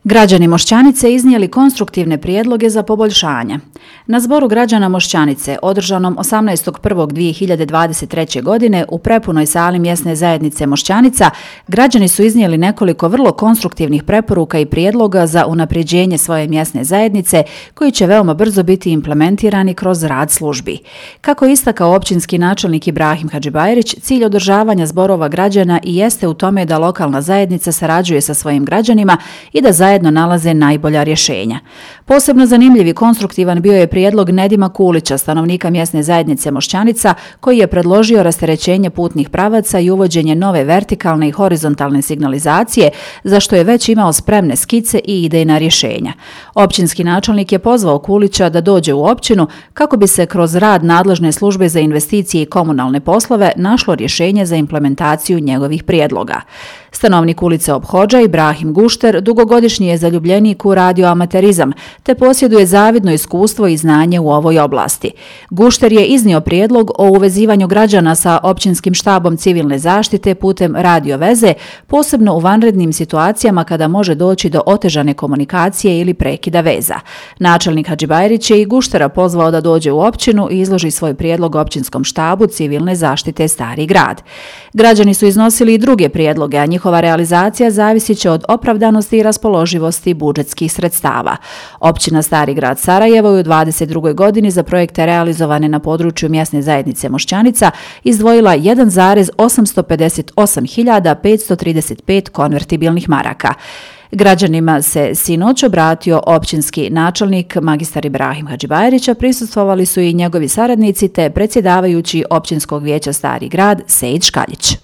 Građani Mošćanice iznijeli konstruktivne prijedloge za poboljšanja. Na zboru građana Mošćanice, održanom 18.1.2023. godine u prepunoj sali mjesne zajednice Mošćanica, građani su iznijeli nekoliko vrlo konstruktivnih preporuka i prijedloga za unapređenje svoje mjesne zajednice, koji će veoma brzo biti implementirani kroz rad službi. Kako je istakao općinski načelnik Ibrahim Hadžibajrić, cilj održavanja zborova građana i jeste u tome da lokalna zajednica sarađuje sa svojim građanima i da zajedno nalaze najbolja rješenja. Posebno zanimljiv i konstruktivan bio je prijedlog Nedima Kulića, stanovnika mjesne zajednice Mošćanica, koji je predložio rasterećenje putnih pravaca i uvođenje nove vertikalne i horizontalne signalizacije, za što je već imao spremne skice i idejna rješenja. Općinski načelnik je pozvao Kulića da dođe u općinu kako bi se kroz rad nadležne službe za investicije i komunalne poslove našlo rješenje za implementaciju njegovih prijedloga. Stanovnik ulice Ophodža Ibrahim Gušter dugogodišnji je zaljubljenik u radioamaterizam, te posjeduje zavidno iskustvo i znanje u ovoj oblasti. Gušter je iznio prijedlog o uvezivanju građana sa općinskim štabom civilne zaštite putem radio veze, posebno u vanrednim situacijama kada može doći do otežane komunikacije ili prekida veza. Načelnik Hadžibajrić je i Guštera pozvao da dođe u općinu i izloži svoj prijedlog općinskom štabu civilne zaštite Stari grad. Građani su iznosili i druge prijedloge, a njihova realizacija zavisit će od opravdanosti i raspoloživosti budžetskih sredstava. Općina Stari grad Sarajevo je u 2022. godini za projekte realizovane na području mjesne zajednice Mošćanica izdvojila 1,858.535 konvertibilnih maraka. Građanima se sinoć obratio općinski načelnik magistar Ibrahim Hadžibajrić, a prisustvovali su i njegovi saradnici te predsjedavajući općinskog vijeća Stari grad Sejid Škaljić.